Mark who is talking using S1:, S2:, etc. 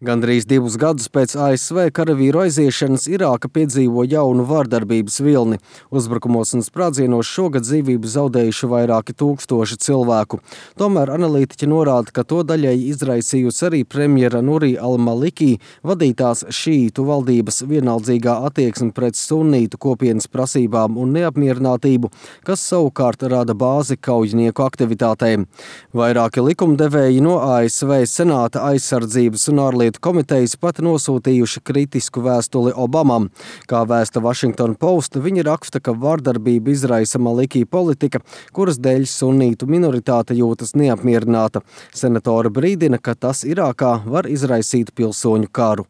S1: Gandrīz 2 gadus pēc ASV karavīru aiziešanas Irāka piedzīvo jaunu vardarbības vilni. Uzbrukumos un sprādzienos šogad dzīvību zaudējuši vairāki tūkstoši cilvēku. Tomēr analītiķi norāda, ka to daļēji izraisījusi arī premjera Nuri al-Maliki vadītās šīītu valdības vienaldzīgā attieksme pret sunītu kopienas prasībām un neapmierinātību, kas savukārt rada bāzi kaujinieku aktivitātēm. Vairāki likumdevēji no ASV Senāta aizsardzības un ārlietu komitejas pat nosūtījuši kritisku vēstuli Obamam. Kā vēsta Washington Post, viņi raksta, ka vardarbība izraisa Maliki politika, kuras dēļ sunītu minoritāte jūtas neapmierināta. Senatori brīdina, ka tas Irākā var izraisīt pilsoņu karu.